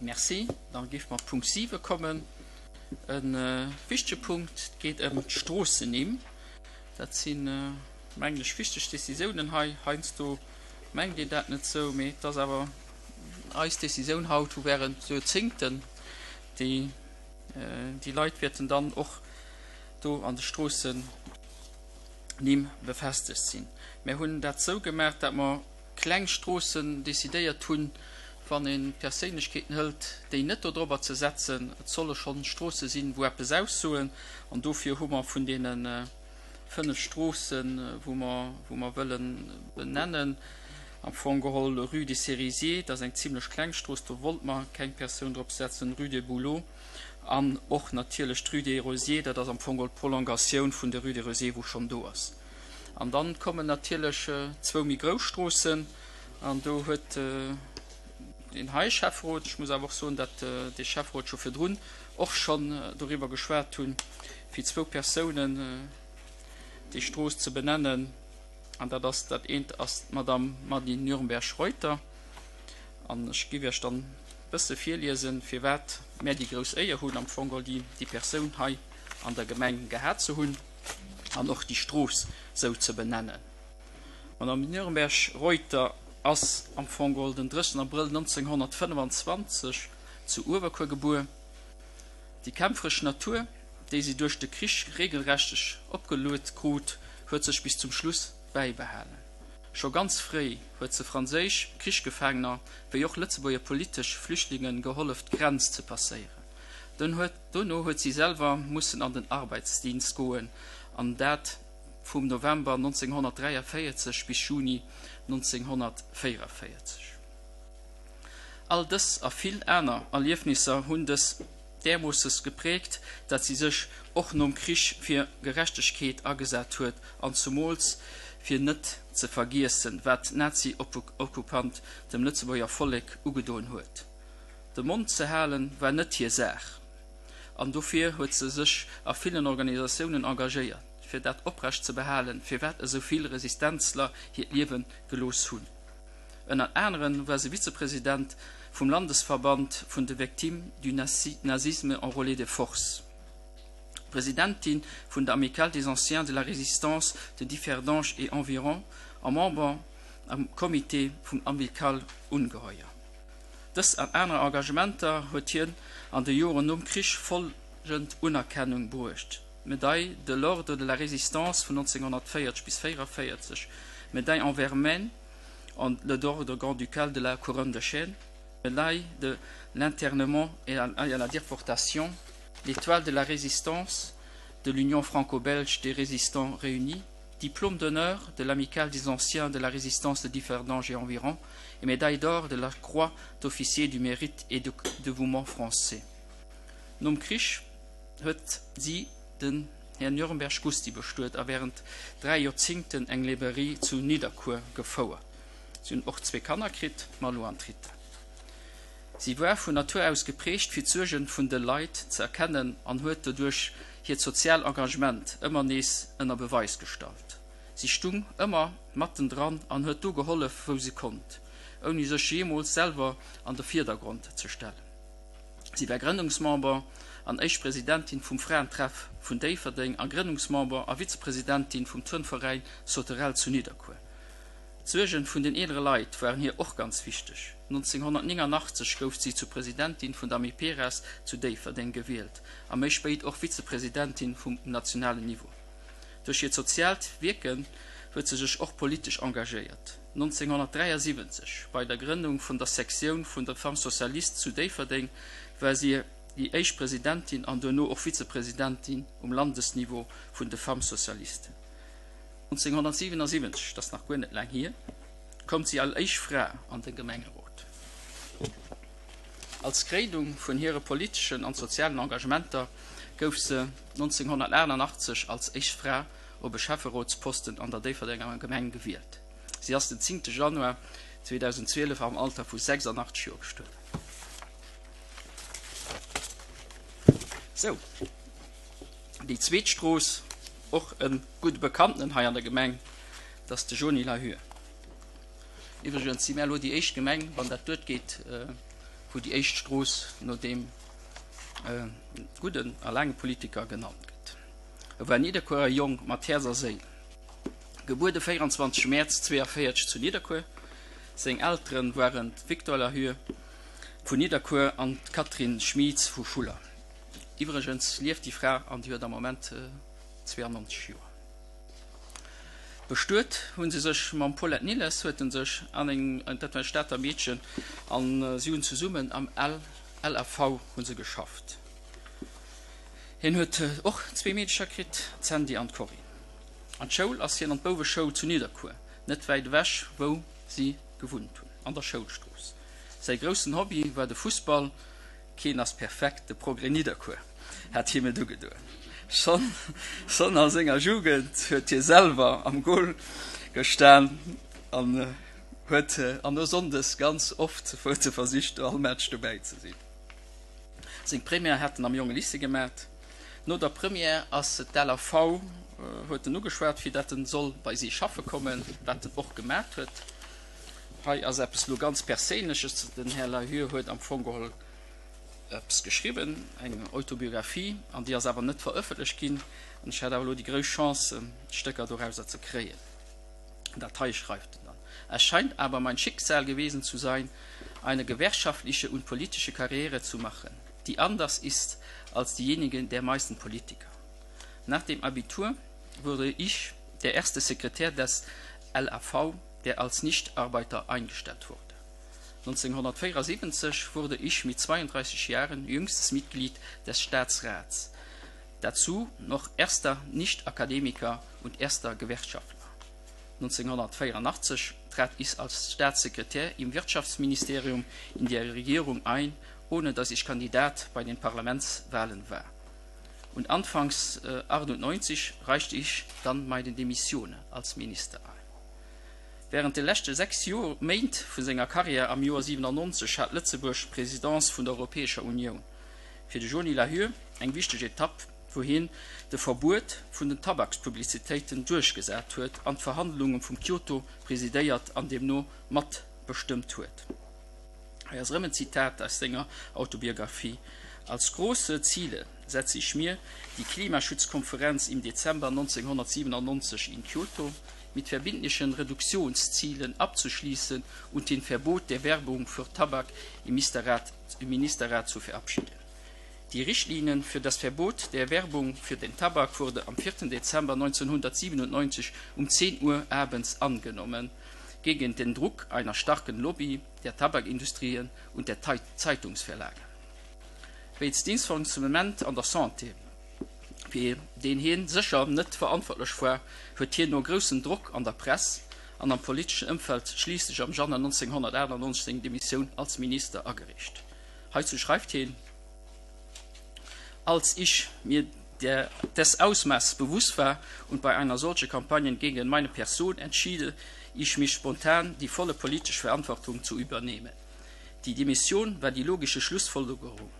Merci. Da géife mer op Punkt 7 kommen, e wichtege Punkt. Et geet ëm d'Stroossennimm. Dat sinn, mengen ech, wichteg Décisiounen hei. Heiansdo mengt een dat net esou, mee et ass awer eis Décisioun haut, wou während Joerzéngten déi, déi Leit wäerten dann och do an de Stroossennimm befestegt sinn. Mir hunn dat esou gemaach, dat mer kleng Stroossen decidéiert hunn, wann ee Perséinlechkeeten hëlt, déi net do drobber ze setzen. Et solle schonn Stroosse sinn, wou eppes aussoen. An dofir hu mer vun deene 5 Stroossen, wou mer, wou mer wëlle benennen, am Fong geholl Rue des Cerisiers, dat ass eng zimlech kleng Strooss, do wollt mer keng Persoun drop setzen, Rue des Bouleaux an och natierlech d'Rue des Rosiers, dat ass am Fong geholl d'Prolongatioun vun der Rue des Rosiers, wou schonn do ass. An dann kommen natierlech zwou méi grouss Stroossen, an do huet deen hei Schäfferot, ech muss awer och soen, datt dee Schäfferot scho virdrun och schonn doriwwer geschwat hunn, fir zwou Persounen déi Strooss ze benennen, an dat ass, dat eent ass d'Madame Mady Nürnberg-Reuter, an ech géif Iech dann e bësse virliesen, firwat mär déi grouss Éier hunn, am Fong geholl déi Persoun hei an der Gemeng gehat ze hunn. an och déi Strooss sou ze benennen. D'Madame Nürnberg-Reuter ass am Fong geholl den 30 Abrëll 1925 zu Uewerkuer gebuer. Déi kämpferesch Natur, déi si duerch de Krich regelrechteg opgeluet krut, huet sech bis zum Schluss bäibehalen. Scho ganz fréi huet se franséisch Krichsgefaangener wéi och Lëtzebuerger politesch Flüchtlinge gehollef d'Grenz ze passéieren. Dunn huet. Dono huet si selwer mussen an den Arbeitsdienst goen, an dat vum November 1943 bis Juni 1944. All dës a vill aner Erliefnisser hunn dës därmoosses gepräägt, dat si sech och nom Krich fir Gerechtegkeet agesat huet an zumools fir net ze vergiessen, wat d'Nazi-Okkupant dem Lëtzebuerger Vollek ugedoen huet. De Mond ze halen war net hir Saach an dofir huet se sech a villen Organisatiounen engagéiert, fir dat oprecht ze behalen, firwat esou vill Resistenzler hiert Liewe gelooss hunn. Ënner aneren war se Vizepresident vum Landesverband vun de Victimes du nazisme enrôlées de force, Presidentin vun der Amicale des Anciens de la Résistance de Differdange et environs a Member am Comité vum Amicale Ungeheuer. Dës an aner Engagementer huet hien an de Joren nom Krich follgend Unerkennung bruecht, Médaille de l'Ordre de la Résistance vun 1940 bis 1944, Médaille en vermeil en l'Ordre grand-ducal de la Couronne de chêne, Médaille de l'internement et à la déportation, l'Étoile de la Résistance de l'Union franco-belge des résistants réunis, Diplôme d'honneur de l'Amicale des anciens de la résistance de Differdange et environs et médaille d'or de la Croix d'officier du mérite et de dévouement français. Nom Krich huet si den Här Nürnberg Gusty bestuet a während 3 Joerzingten eng Librairie zu Nidderkuer gefouert. Si hunn och zwee Kanner kritt, d'Malou an d'Rita. Si war vun Natur aus geprägt fir d'Suergen vun de Leit ze erkennen an huet doduerch hiert sozial Engagement ëmmer nees ënner Beweis gestallt. Si stung ëmmer matten dran an huet do gehollef wou se konnt, ouni sech jeemools selwer an de Virdergrond ze stellen. Si war Grënnungsmember an éischt Presidentin vum Fraentreff vun Déifferdeng a Grënnungsmember a Vizepresidentin vum Turnveräin Sauterelle zu Nidderkuer. D'Suergen vun den eelere Leit waren hir och ganz wichteg. 1989 gouf si zur Presidentin vun der Amiperas zu Déifferdeng gewielt a méi spéit och Vizepresidentin vum um nationalen Niveau. Duerch hiert soziaalt Wierken huet se sech och politesch engagéiert. 1973, bei der Grënnung vun der Sektioun vun der Femmes Socialistes zu Déifferdeng, war si déi éischt Presidentin an duerno och Vizepresidentin um Landesniveau vun de Femmes Socialistes. 1977, dat ass nach guer net laang hier, koum si al éischt Fra an de Gemengerot. Als Kréinung vun hire politeschen an sozialen Engagementer gouf se 1988 als éischt Fra op e Schäfferotsposten an der Déifferdenger Gemeng gewielt. Si ass den 10 Januar 2012 am Alter vu 86 Joer gestuerwen. Sou, déi zweet Strooss, och e gudde Bekannten hei an der Gemeng, dat ass de Jony Lahure. Iwwregens si mär elo déi éischt Gemeng, wann dat duerchgeet, wou. wou déi éischt Strooss no deem gudden a laange Politiker genannt gëtt. E war Nidderkuerer Jong mat Häerz a Séil. Gebuer de 24 Mäerz 42 zu Nidderkuer. Seng Eltere waren d'Victor Lahue vun Nidderkuer an d'Catherine Schmieds vu Schuller. Iwwregens lieft déi Fra an déi huet am Moment 92 Joer. Bestuet hu se sech mam Paulette Nilles, huet en sech an eng, dat war e Stater Meedchen, an si hunn zesummen am LAV hu se geschafft. Hien huet och zwee Meedecher kritt, d'Sandy an d'Corinne. An d'Schoul ass hien an d'Bouweschoul zu Nidderkuer, net wäit ewech wou si gewunnt hunn, an der Schoulstrooss. Säi groussen Hobby war de Fussball, Keen ass perfekt, de Progrès Nidderkuer hat him et ugedoen. Schonn schonn a senger Jugend huet hie selwer am Gol gestan an huet an no Sonndes ganz oft huet e versicht all Match dobäi ze sinn. Seng Première hat en am Jongelycée gemat. No der Première ass d'LAV huet en ugeschwat fir dat en soll bei si schaffe kommen, wat en och gemat huet. Hei ass eppes elo ganz Perséinleches, Den Här Lahue huet am Fong geholl eppes geschriwwen, eng Autobiographie, an déi ass awer net verëffentlecht ginn. An ech hat awer elo déi grouss Chance, Stécker dorauser ze kréien. Dat hei schreift en dann, Es scheint aber mein Schicksal gewesen zu sein, eine gewerkschaftliche und politische Karriere zu machen, die anders ist als diejenige der meisten Politiker. Nach dem Abitur wurde ich der erste Sekretär des LAV, der als Nichtarbeiter eingestellt wurde. 1974 wurde ich mit 32 Jahren jüngstes Mitglied des Staatsrats, dazu noch erster Nichtakademiker und erster Gewerkschaftler. 1984 trat ich als Staatssekretär im Wirtschaftsministerium in die Regierung ein, ohne dass ich Kandidat bei den Parlamentswahlen war. Und anfangs 98 äh, reichte ich dann meine Demission als Minister ein. Wärend de leschte 6 Joer, Méint vu senger Karriär am Joer 97 hat Lëtzebuerg d'Presidence vun der Europäescher Unioun. Fir de Jony Lahue eng wichteg Etapp, wou hien de Verbuet vun den Tabakspublizitéiten duerchgesat huet an d'Verhandlunge vum Kyoto presidéiert an deemno matbestëmmt huet. Hei ass erëm en Zitat aus senger Autobiographie, Als große Ziele setze ich mir die Klimaschutzkonferenz im Dezember 1997 in Kyoto mit verbindlichen Reduktionszielen abzuschließen und den Verbot der Werbung für Tabak im Ministerrat, im Ministerrat zu verabschieden. Die Richtlinien für das Verbot der Werbung für den Tabak wurde am 4. Dezember 1997 um 10 Uhr abends angenommen, gegen den Druck einer starken Lobby der Tabakindustrien und der Zeitungsverlage. Wéinst Dysfonctionnement an der Santé, fir deen hien sécher net verantwortlech war, huet hien no groussem Drock an der Press an am politeschen Ëmfeld schliisslech am Januar 1998 seng Demissioun als Minister agereecht. Heizou schreift hien, Als ich mir der des Ausmaßes bewusst war und bei einer solchen Kampagne gegen meine Person entschied ich mich spontan, die volle politische Verantwortung zu übernehmen. Die Demission war die logische Schlussfolgerung.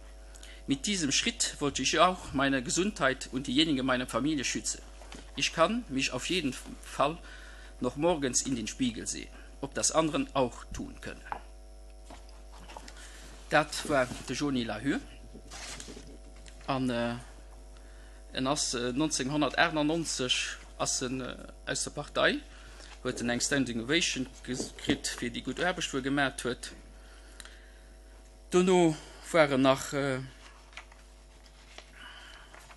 Mit diesem Schritt wollte ich auch meine Gesundheit und diejenige meiner Familie schützen. Ich kann mich auf jeden Fall noch morgens in den Spiegel sehen, ob das anderen auch tun können. Dat war de Jony Lahue an en ass 1998 ass en aus der Partei, huet en eng Standing Ovation kritt fir déi gutt Aarbecht wou e gemat huet. Dono war en nach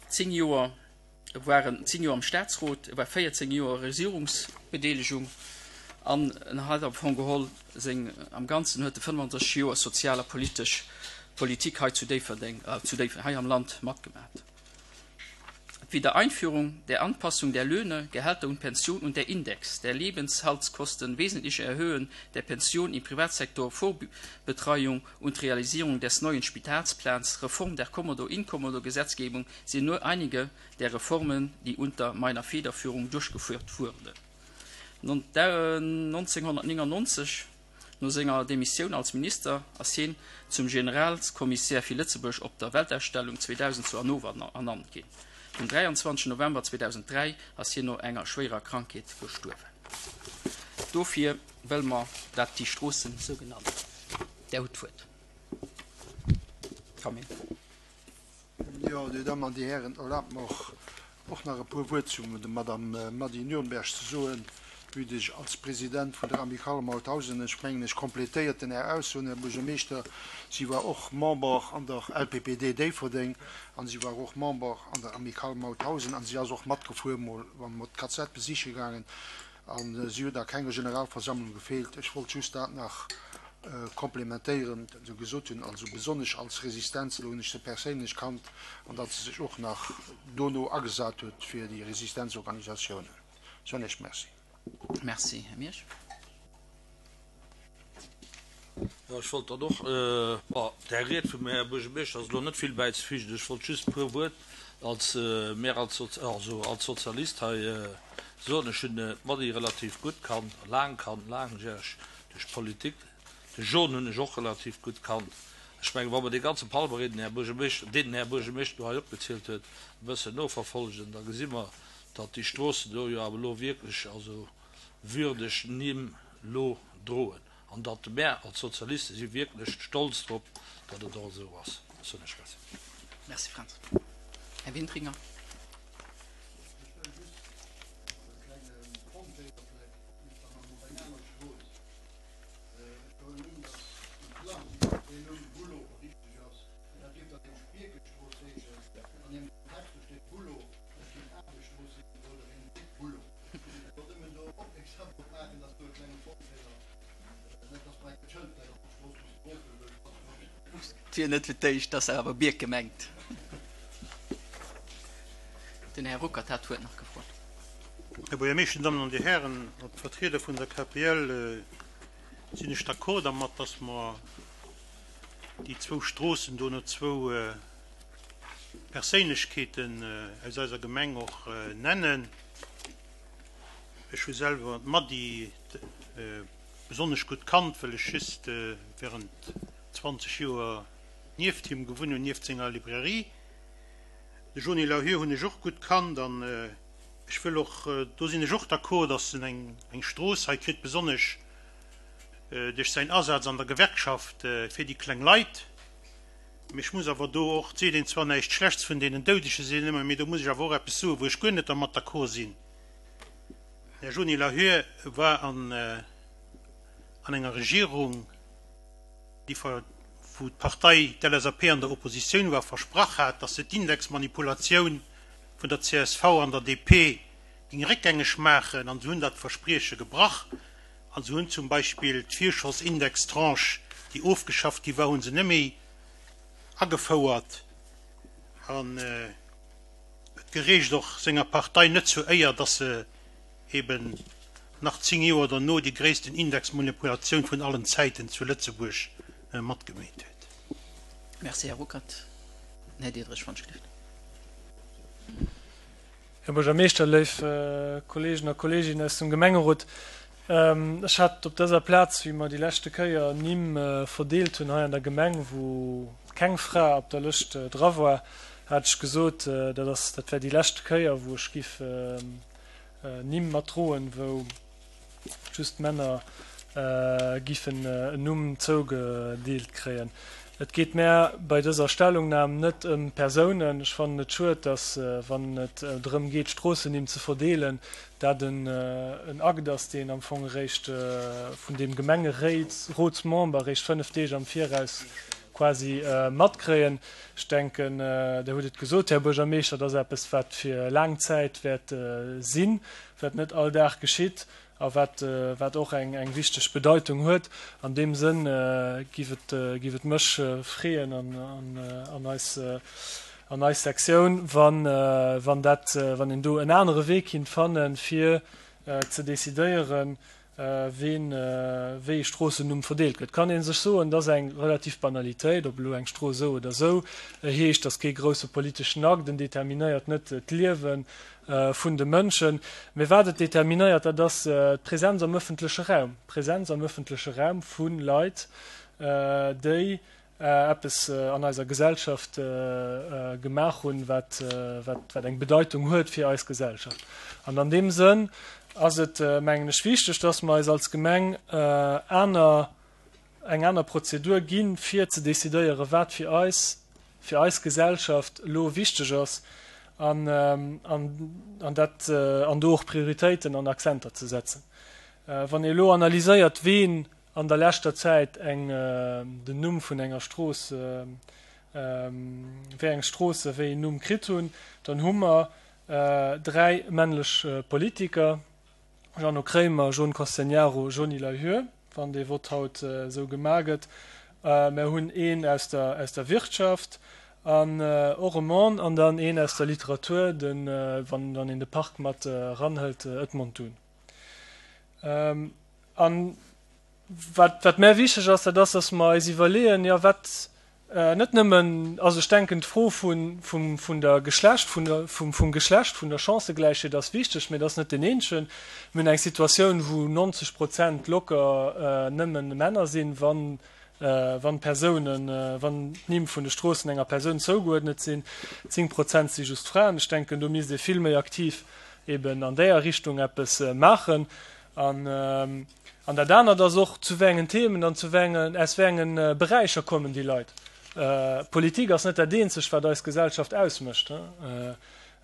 10 Joer E war en 10 Joer am Staatsrot, e war 14 Joer Regierungsbedeelegung an en hat am Fong geholl seng, am Ganzen huet e 35 Joer sozial a politesch Politik hei zu Déifferdeng, zu Déifferdeng, hei am Land matgemat. D'Wiedereinführung der Anpassung der Löhne, Gehälter und Pension und der Index der Lebenshaltskosten, wesentliche Erhöhung der Pension im Privatsektor, Vorbetreuung und Realisierung des neuen Spitalsplans, Reform der Kommodo-Inkommodo-Gesetzgebung sind nur einige der Reformen, die unter meiner Federführung durchgeführt wurden. 1999, no senger Demissioun als Minister, ass hien zum Generalskommissär fir Lëtzebuerg op der Weltausstellung 2000 zu Hannover ernannt ginn. Den 23 November 2003 ass hien no enger schwéierer Krankheet gestuerwen. Dofir wëlle mer, dat déi Stroossen esou genannt ginn. Där hutt d'Wuert. Camille. Jo, Dir Dammen an Dir Hären, erlaabt mer och, och nach e puer Wuert zum der Madame Mady Nürnberg ze soen, vue de ech als President vun der Amicale Mauthausen, ech mengen, ech complétéiert den Är Aussoen, Här Buergermeeschter, si war och Member an der LPPD Déifferdeng an si war och Member an der Amicale Mauthausen an si ass och matgefuer mol, wa mer d'KZ besiche gaangen an si huet a kenger Generalversammlung gefeelt. Ech wollt just dat nach komplementéieren, wat se gesot hunn, also besonnesch als Resistenzler hunn ech se perséinlech kannt an datt se sech och nach dono agesat huet fir déi Resistenzorganisatiounen. Soen Iech Merci. Merci, Här Miersch. Jo, ech wollt dann och, bon, där Ried vum Här Buergermeeschter ass elo net vill bäizefügen. Ech wollt just e puer Wuert als, mär als, also als Sozialist hei soen. Ech hunn d'Mady relativ gutt kannt, laang kannt, laangjäreg duerch d'Politik. De John hunn ech och relativ gutt kannt. Ech mengen, wa mer dee ganze Palmarès, den Här Buergermeeschter, deen den Här Buergermeeschter do hei opgezielt huet, e bëssen noverfolgen, da gesi mer, datt déi Stroossen do jo awer elo wierklech also würdeg Nimm lo droen an datt mär als Sozialiste si wierklech stolz drop, datt et och esou ass. Soen ech Merci. Merci Fränz. Här Wintringer. Et wier net fir d'éischt, dass awer Bierke mengt. Den Här Ruckert hat d'Wuert nach gefrot. Här Buergermeeschter, Dir Dammen an Dir Hären, als Vertrieder vun der KPL sinn ech d'accord dermat, dass mer déi zwou Stroossen do no zwou Perséinlechkeeten aus eiser Gemeng och nennen. Ech hu selwer d'Mady besonnesch gutt kannt, well ech just während 20 Joer nieft him gewunn hunn, nieft senger Librairie. De Jony Lahue hunn ech och gutt kannt an ech wëll och, do sinn ech och d'accord, datt en eng Strooss hei kritt, besonnesch duerch säin Asaz an der Gewerkschaft fir déi kleng Leit. Mee ech muss awer do och, et seet een zwar näischt Schlechts vun deenen Doudege sinn ëmmer, mee do muss ech awer och eppes soen, wou ech guer net dermat d'accord sinn. Den Här Jony Lahue war an an enger Regierung, déi ver, wou d'Partei, d'LSAP an der Oppositioun war, versprach hat, datt se d'Indexmanipulatioun vun der csv an der DP géing réckgängeg maachen, an se hunn dat Versprieche gebrach. An se hunn zum Beispill d'Virschossindextranche, déi ofgeschafft gi war, hu se net méi agefouert. An et gereecht och senger Partei net zur Éier, datt se eben nach 10 Joer derno déi gréissten Indexmanipulatioun vun allen Zäiten zu Lëtzebuerg matgemeet huet. Merci, Här Ruckert. Här Diederich von Schlicht. Här Buergermeeschter, léif Kolleegen a Kolleeginnen aus dem Gemengerot, ech hat op dëser Plaz, wéi mer déi leschte Kéier Nimm verdeelt hunn hei an der Gemeng, wou keng Fra op der Lëscht dra war, hat ech gesot, dat ass, dat wär déi lescht Kéier, wou ech giff Nimm matdroen, wou just Männer giffen en Numm zougedeelt kréien. Et geet mär bei dëser Stellungnam net ëm Persounen. Ech fannen et schued, datt, wann et drëm geet, Stroossennimm ze verdeelen, dat en Akt ass, deen am Fong eréischt vun deem Gemengerotsmember eréischt 5 Deeg am Viraus quasi matkréien. Ech denken, Der hutt et gesot, Här Buergermeeschter, et ass eppes, wat fir laang Zäit wäert sinn, wat net all Dag geschitt a wat, wat och eng, eng wichteg Bedeitung huet. An deem Sënn giff et, giff et mech freeën an, an, an eis, an eis Sektioun, wann, wann dat, wann een do en anere Wee kinnt fannen, fir ze decidéieren, Ween wéi e Stroossennumm verdeelt gëtt, kann ee sech soen, dat ass eng relativ Banalitéit, ob elo eng Strooss esou oder esou heescht, ass kee grousse politeschen Akt, en determinéiert net d'Liewe vun de Mënschen. Mee wat et determinéiert, dat ass d'Präsenz am ëffentleche Raum, d'Präsenz am ëffentleche Raum vu Leit, déi eppes an eiser Gesellschaft gemaach hunn, wat wat eng Bedeitung huet fir eis Gesellschaft. An an deem Sënn ass et, mengen ech, wichteg, dass mer eis als Gemeng aner, eng aner Prozedur ginn, fir ze decidéieren, wat fir eis. fir eis Gesellschaft elo wichteg ass an, an dat, an do och Prioritéiten an Akzenter ze setzen. Wann ee elo analyséiert, ween an der leschter Zäit eng, den Numm vun enger Strooss, wéi eng Stroosse wéi een Numm kritt hunn, dann hu mer 3 männlech Politiker, Jeannot Kremer, John Castegnaro, Jhonny Lahure, wann dee Vott haut esou gemaach gëtt. Mer hunn een aus der, aus der Wirtschaft an och e Mann an dann een aus der Literatur, de, wann, wann een de Park mat eranhëlt, Edmond Dune. An wat, wat mär wichteg ass, dat ass, dass mer eis iwwerleeën, jo wat, Net nëmmen, also ech denken d'Fro vun, vum, vun der Geschlecht, vun der, vum, vum Geschlecht, vun der Chancëgläichheet ass wichteg, mä et ass net deen eenzegen. Mir hunn eng Situatioun, wou 90 Prozent locker nëmmen Männer sinn, wann, wann Persounen, wann d'Nimm vun de Stroossen enger Persoun zougeuerdnet sinn. 10 Prozent si just Fraen. Ech denken, do misst ee vill méi aktiv eben an däer Richtung eppes maachen. An, An dat anert ass och, zu wéi engen Themen an zu wéi engen, aus wéi enge Beräicher kommen déi Leit. Politik ass net dat eenzegt, wat eis Gesellschaft ausmécht.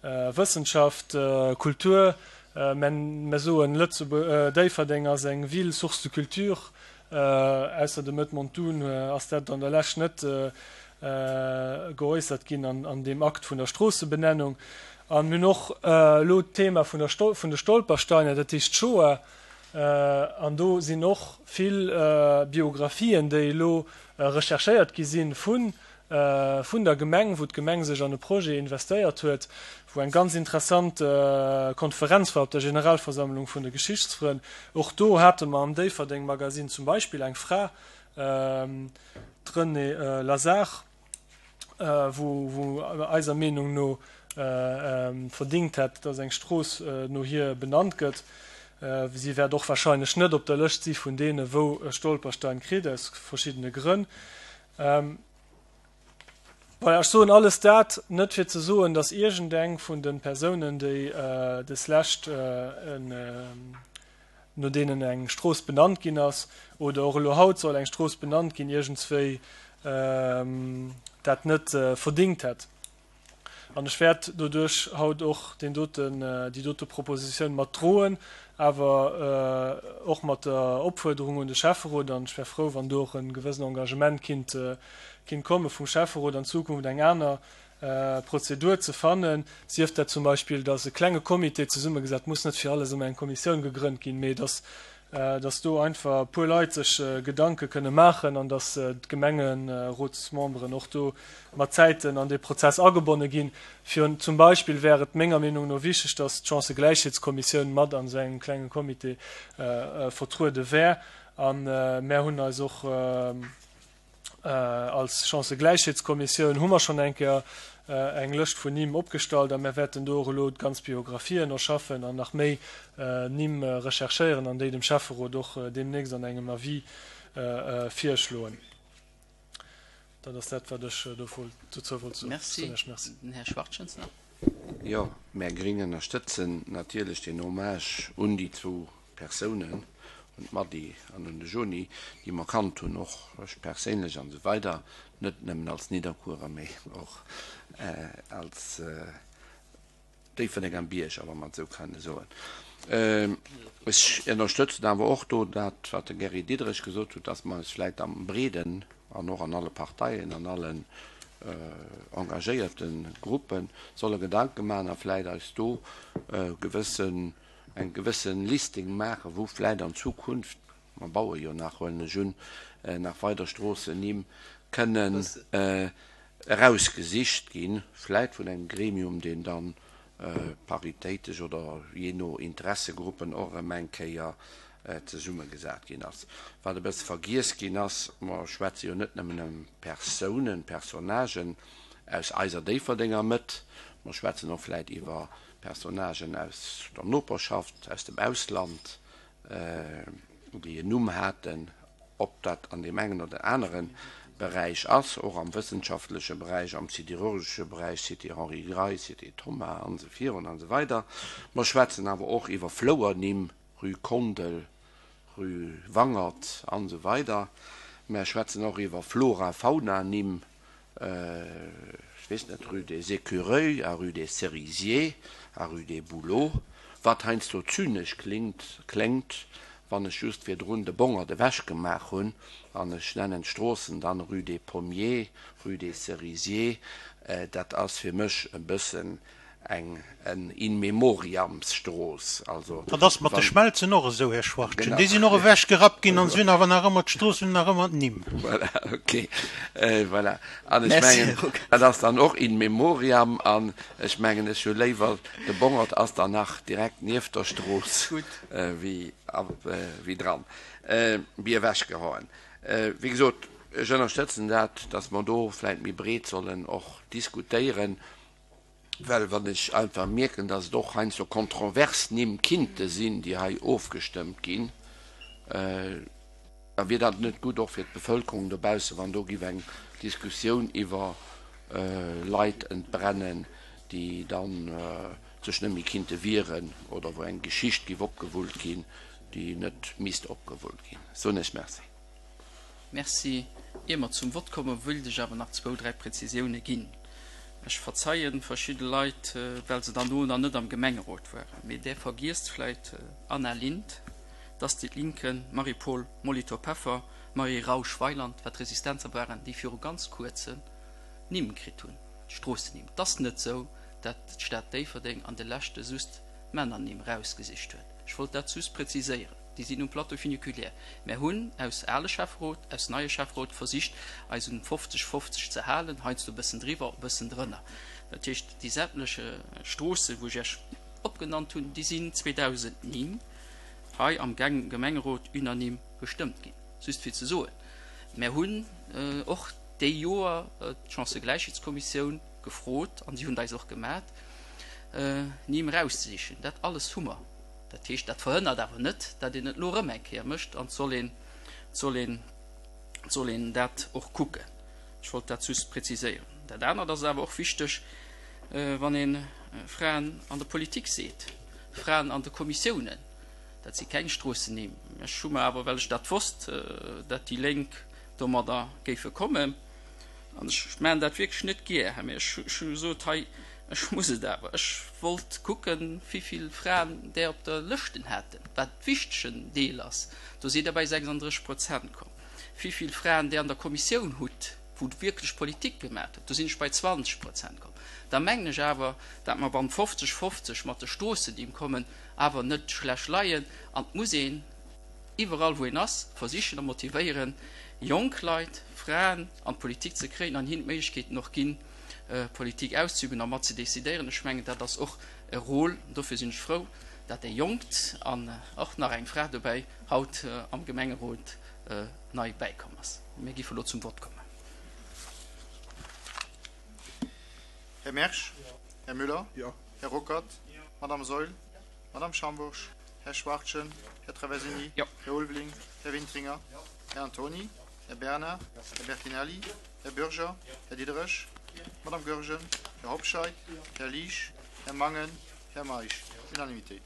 Wëssenschaft, Kultur, mä mer soen, Lëtzebuerg, Déifferdeng ass eng Ville source de culture. Ausser dem Edmond Dune ass dat an der Lescht net geäussert ginn an deem Akt vun der Stroossebenennung. An mir hunn och elo d'Thema vun de Stolpersteine, dat heescht d'Shoah. An do sinn och vill Biographien, déi elo recherchéiert gi si vun der Gemeng, wou d'Gemeng sech an e Projet investéiert huet, wou eng ganz interessant Konferenz war op der Generalversammlung vun de Geschichtsfrënn. Och do hate mer am Déifferdeng-Magasinn zum Beispill eng Fra, d'Renée Lazard, wou eiser Meenung no verdingt hätt, dass eng Strooss no hir benannt gëtt. Si wäert och wahrscheinlech net op der Lëscht si vun deene wou e Stolperstein kritt, aus verschiddene Grënn. Voilà, ech soen alles dat net fir ze soen, dass iergendeng vun de Persounen, déi deslescht en no deenen eng Strooss benannt ginn ass, oder och elo haut soll eng Strooss benannt ginn, iergendswéi dat net verdingt hätt. An ech wäert doduerch haut och deen doten, déi dote Propositioun mat droen, awer och mat der Opfuerderung un de Schäfferot, an ech wär frou, wann do och e gewëssen Engagement kinnt, kinnt komme vum Schäfferot, an Zukunft eng aner Prozedur ze fannen, sief dat zum Beispill, datt e klenge Comité zesummegesat, muss net fir alles ëmmer eng Kommissioun gegrënnt ginn, mee datt datt do einfach e puer Leit sech Gedanke kënne maachen an datt d'Gemengerotsmemberen och do mat Zäiten an dee Prozess agebonne ginn. Fir zum Beispill wär et menger Meenung no wichteg, datt d'Chancëgläichheetskommissioun mat an esou engem klenge Comité vertruede wär. A mär hunn eis och, Als Chancëgläichheetskommissioun hu mer schonn eng Kéier eng Lëscht vun Nimm opgestallt a mir wäerten do och elo d'ganz Biographien erschaffen an nach méi Nimm recherchéieren an déi dem Schäfferot och deemnächst an engem Avis virschloen. Dat ass dat, wat ech dozou wollt soen. Merci. Den Här Schwachtjens nach. Jo, mär Gring ënnerstëtzen natierlech deen Hommage un déi zwou Persounen, un d'Mady an un de Joni, déi mer kannt hunn, och ech perséinlech an esou weider, net nëmmen als Nidderkuerer, mee och als Déifferdenger Bierger, wa mer et esou kënne soen. Ech ënnerstëtzen awer och do dat, wat de Gary Diderich gesot huet, dass mer eis vläicht am Breeden an och an alle Parteien, an allen engagéierte Gruppe solle Gedanke maachen a vläicht eis do gewëssen eng gewëssen Listing maachen, wou vläit an Zukunft, mer baue jo nach, huelen ech un, nach weider Stroossennimm kënnen erausgesicht ginn, vläit vun engem Gremium, deen dann paritéitesch oder jee no Interessegruppen och erëm eng Kéier zesummegesat ginn ass. Wat e bësse vergiess ginn ass, mer schwätze jo net nëmmen ëm Persounen, Personnagen aus eiser Déifferdenger Mëtt, mer schwätzen och vläit iwwer Personnagen aus der Noperschaft, aus dem Ausland, déi en Numm haten, ob dat an deem engen oder anere Beräich ass, och am wëssenschaftleche Beräich, am siderurgesche Beräich, Cité Henri Gray, Cité Thomas an esou virun an esou weider. Mer schwätzen awer och iwwer Flouernimm, Rue Kondel, Rue Wangert an esou weider. Mer schwätzen och iwwer Flora-Fauna-Nimm. Ech weess net, rue des Écureuils a rue des Cerisiers a rue des Bouleaux, wat heiansdo zynesch klingt, kléngt, wann ech just virdrun de Bongert ewechgemaach hunn an ech nennen d'Stroossen dann rue des Pommiers, rue des Cerisiers, dat ass fir mech e bëssen eng en In memoriam-Strooss. Also Dat ass mat de Schmelzen och esou, Här Schwachtgen. Déi sinn och ewechgerappt ginn an se hunn awer nach ëmmer, d'Stroossen hunn nach ëmmer d'Nimm. Voilà, ok. Voilà. An ech mengen, dat ass dann och in memoriam. An ech mengen, ech hu léiwer, de Bongert ass dann nach direkt nieft der Strooss wéi dran, wéi ewechgehauen. Wéi gesot, ech ënnerstëtzen dat, datt mer do vläicht méi breet sollen och diskutéieren. Well wann ech einfach mierken, datt et och heiansdo kontrovers Nimm kinnte sinn, déi hei ofgestëmmt ginn, da wier dat net gutt och fir d'Bevölkerung dobaussen, wann do giff eng Diskussioun iwwer Leit entbrennen, déi dann sech net méi kinnte wieren oder wou eng Geschicht giff opgewullt ginn, déi net misst opgewullt ginn. Soen ech Merci. Merci. Ier mer zum Vott kommen, wëilt ech awer nach zwou, dräi Präzisioune ginn. Ech verzeie verschidde Leit, well se dann do nach net am Gemengerot waren, mee där vergiesst vläicht Anna Lindh, d'Astrid Linke, Marie-Paule Molitor-Peffer, Marie Rausch-Weyland, wat Resistenzer waren, déi viru ganz kuerzem Nimm kritt hunn, Stroossennimm. Et ass net esou, dat d'Stad Déifferdeng an de leschte just Männernimm rausgesicht huet. Ech wollt dat just präziséieren. Déi sinn um Plateau funiculaire. Mär hunn aus ale Schäfferot, aus neie Schäfferot versicht, eis un 50, 50 ze halen, heiansdo e bëssen driwwer, e bëssen drënner. Dat heescht, déi sämtleche Stroossen, wou ech Iech opgenannt hunn, déi sinn 2009 hei am Gemengerot unanime gestëmmt ginn. Just fir ze soen, mär hunn och déi Joer d'Chancëgläichheetskommissioun gefrot, an si hunn et eis och gemat, Nimm erauszesichen. Dat alles hu mer. Dat heescht, dat verhënnert awer net, datt een et elo erëm eng Kéier mécht an et soll een, et soll een, et soll een dat och kucken. Ech wollt dat just präziséieren. Dat anert ass awer och wichteg, wann ee Fraen an der Politik seet, Fraen an de Kommissiounen, dat si keng Stroossennimm. Ech hu mer awer, well ech dat wosst, datt déi Lénk domadder géife kommen, An ech maachen dat wierklech net gär, Här, mee ech hu gesot, hei, ech muss et awer. Ech wollt kucken, wivill Fraen där op der Lëschten haten, wat wichtegen Deel ass. Do sidd Der bei 36 Prozent komm. Wivill Fraen där an der Kommissioun hutt, wou wierklech Politik gemaach hutt, do sinn ech bei 20 Prozent komm. Da mengen ech awer, dat mer wann 50, 50 mat de Stroossennimm kommen, awer net schlecht leien. An et muss een iwwerall wou een ass, versichen a motivéieren, jonk Leit, Fraen an d'Politik ze kréien an hinnen d'Méiglechkeeten och ginn, Politik auszeüben a mat ze decidéieren. Ech mengen, dat ass och e Rôle, dofir sinn ech frou, dat e Jonkt an och nach eng Fra dobäi haut am Gemengerot nei bäikomm ass. Mir géife elo zum Vott kommen. Här Mersch? Här Müller? Här Ruckert? Madame Saeul? Madame Schambourg? Här Schwachtgen, Här Traversini, Här Ulveling, Här Wintringer, Här Antony, Här Bernard, Här Bertinelli, Här Bürger, Här Diderich, Madame Goergen, Här Hobscheit, Här Liesch, Här Mangen, Här Meisch. Unanimitéit.